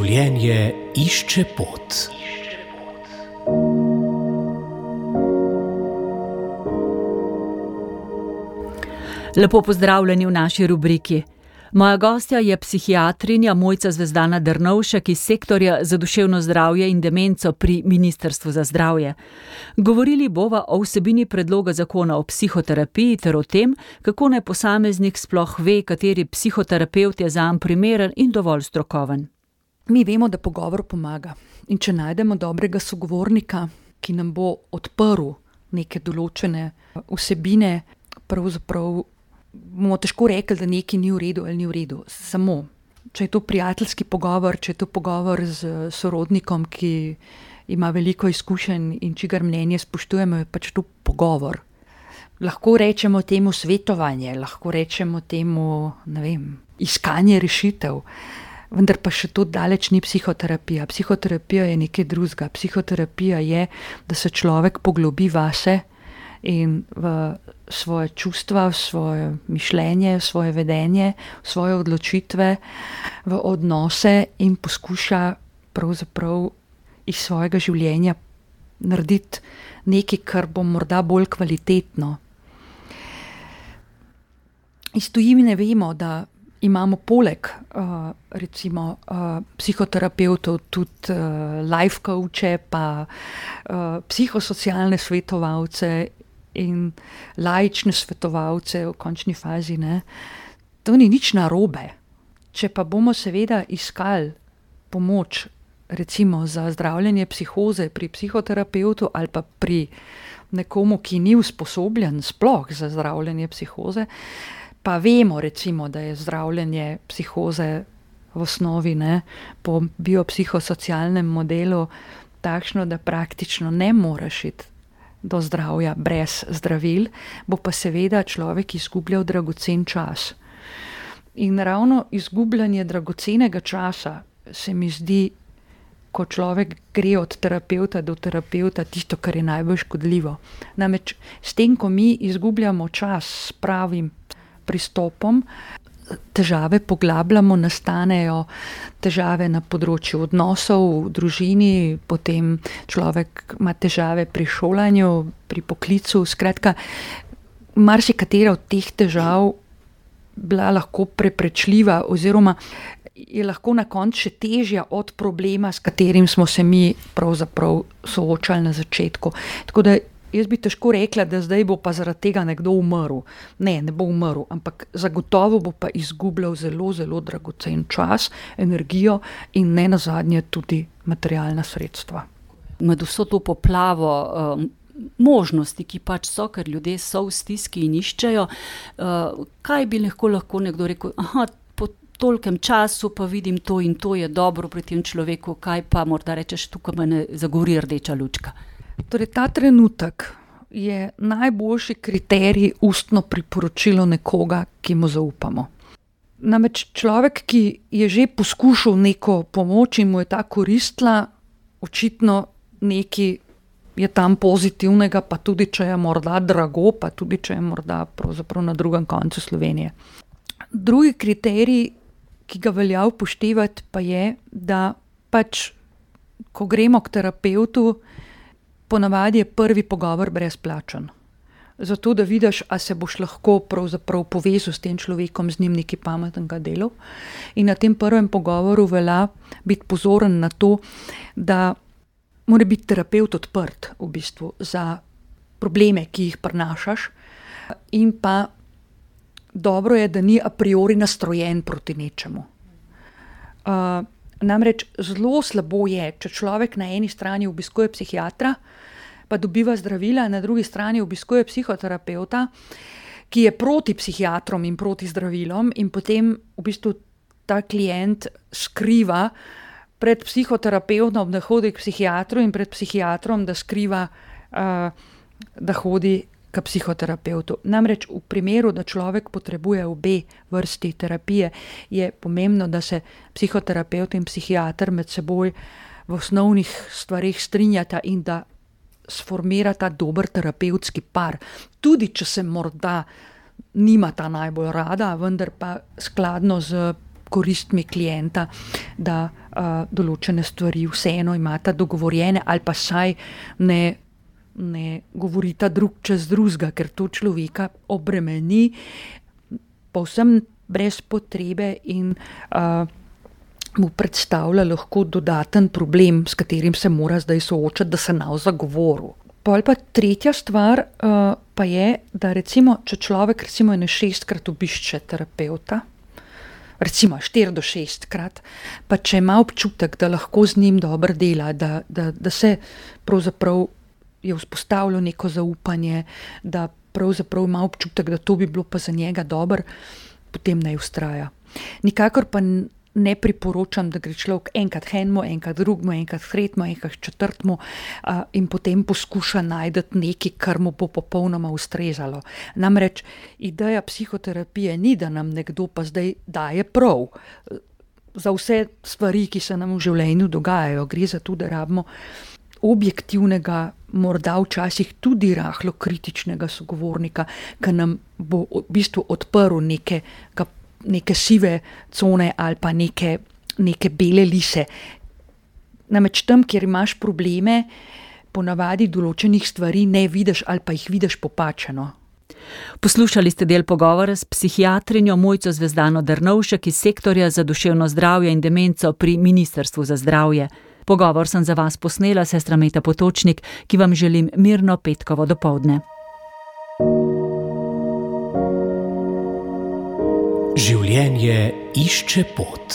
Življenje išče pot. Lepo pozdravljeni v naši rubriki. Moja gostja je psihiatrinja Mojca Zvezdana Drnovšek iz sektorja za duševno zdravje in demenco pri Ministrstvu za zdravje. Govorili bova o vsebini predloga zakona o psihoterapiji ter o tem, kako naj posameznik sploh ve, kateri psihoterapevt je zanj primeren in dovolj strokoven. Mi vemo, da pogovor pomaga. In če najdemo dobrega sogovornika, ki nam bo odprl neke določene vsebine, pravzaprav bomo težko rekli, da nekaj ni v redu ali ni v redu. Samo, če je to prijateljski pogovor, če je to pogovor z sorodnikom, ki ima veliko izkušenj in čigar mnenje spoštujemo, je pač to pogovor. Lahko rečemo temu svetovanje, lahko rečemo temu, iskanje rešitev, vendar pa še to daleč ni psihoterapija. Psihoterapija je nekaj drugega. Psihoterapija je, da se človek poglobi vase in v svoje čustva, v svoje mišljenje, v svoje vedenje, v svoje odločitve, v odnose in poskuša pravzaprav iz svojega življenja narediti nekaj, kar bo morda bolj kvalitetno. Iz tujine vemo, da imamo poleg psihoterapevtov tudi life coache, pa psihosocialne svetovalce in laične svetovalce v končni fazi. To ni nič narobe. Če pa bomo seveda iskali pomoč recimo za zdravljenje psihoze pri psihoterapevtu ali pa pri nekomu, ki ni usposobljen sploh za zdravljenje psihoze, pa vemo recimo, da je zdravljenje psihoze v osnovi po biopsihosocialnem modelu takšno, da praktično ne moreš iti do zdravja brez zdravil, bo pa seveda človek izgubljal dragocen čas. In ravno izgubljanje dragocenega časa se mi zdi, ko človek gre od terapevta do terapevta, tisto, kar je najbolj škodljivo. Namreč s tem, ko mi izgubljamo čas s pravim pristopom, težave poglabljamo, nastanejo težave na področju odnosov v družini, potem človek ima težave pri šolanju, pri poklicu, skratka, marsikatera od teh težav bila lahko preprečljiva oziroma je lahko na koncu še težja od problema, s katerim smo se mi pravzaprav soočali na začetku. Tako da jaz bi težko rekla, da zdaj bo pa zaradi tega nekdo umrl. Ne bo umrl, ampak zagotovo bo pa izgubljal zelo, zelo dragocen čas, energijo in ne nazadnje tudi materialna sredstva. Med vso to poplavo možnosti, ki pač so, ker ljudje so v stiski in iščejo, kaj bi lahko nekdo rekel, po tolkem času pa vidim to in to je dobro pri tem človeku, kaj pa morda rečeš, tukaj me ne zagori rdeča lučka. Torej, ta trenutek je najboljši kriterij ustno priporočilo nekoga, ki mu zaupamo. Namreč človek, ki je že poskušal neko pomoč in mu je ta koristila, očitno nekaj je tam pozitivnega, pa tudi če je morda drago, pa tudi če je morda pravzaprav na drugem koncu Slovenije. Drugi kriterij, ki ga velja upoštevati, pa je, da pač, ko gremo k terapevtu, ponavadi je prvi pogovor brezplačen. Zato, da vidiš, a se boš lahko pravzaprav povezal s tem človekom, z njim nekaj pametnega delal. In na tem prvem pogovoru velja biti pozoren na to, da mora biti terapevt odprt v bistvu za probleme, ki jih prinašaš, in pa dobro je, da ni a priori nastrojen proti nečemu. Namreč zelo slabo je, če človek na eni strani obiskuje psihiatra, pa dobiva zdravila, na drugi strani obiskuje psihoterapevta, ki je proti psihiatrom in proti zdravilom in potem v bistvu ta klient skriva pred psihoterapevtom, da hodi k psihiatru in pred psihiatrom, da skriva, da hodi k psihoterapevtu. Namreč v primeru, da človek potrebuje obe vrsti terapije, je pomembno, da se psihoterapevt in psihiater med seboj v osnovnih stvarih strinjata in da sformirata dober terapevtski par. Tudi če se morda nimata najbolj rada, vendar pa skladno z koristmi klienta, da določene stvari vseeno imata dogovorjene ali pa saj ne govorita drug čez drugega, ker to človeka obremeni povsem brez potrebe in mu predstavlja lahko dodaten problem, s katerim se mora zdaj soočati, da se nav zagovoril. Pol pa tretja stvar pa je, da recimo, če človek recimo 6-krat obišče terapevta, recimo 4 do 6-krat, pa če ima občutek, da lahko z njim dobro dela, da se pravzaprav je vzpostavilo neko zaupanje, da pravzaprav ima občutek, da to bi bilo pa za njega dobro, potem naj vztraja. Nikakor pa ne priporočam, da gre človek enkrat enemu, enkrat drugemu, enkrat tretjemu, enkrat četrtemu in potem poskuša najti nekaj, kar mu bo popolnoma ustrezalo. Namreč ideja psihoterapije ni, da nam nekdo pa zdaj daje prav za vse stvari, ki se nam v življenju dogajajo. Gre za to, da rabimo objektivnega, morda včasih tudi rahlo kritičnega sogovornika, ki nam bo v bistvu odprl neke sive cone ali pa neke bele lise. Namreč tam, kjer imaš probleme, ponavadi določenih stvari ne vidiš ali pa jih vidiš popačeno. Poslušali ste del pogovora s psihiatrinjo Mojco Zvezdano Drnovšek iz sektorja za duševno zdravje in demenco pri Ministrstvu za zdravje. Pogovor sem za vas posnela, sestra Meta Potočnik, ki vam želim mirno petkovo dopoldne. Življenje išče pot.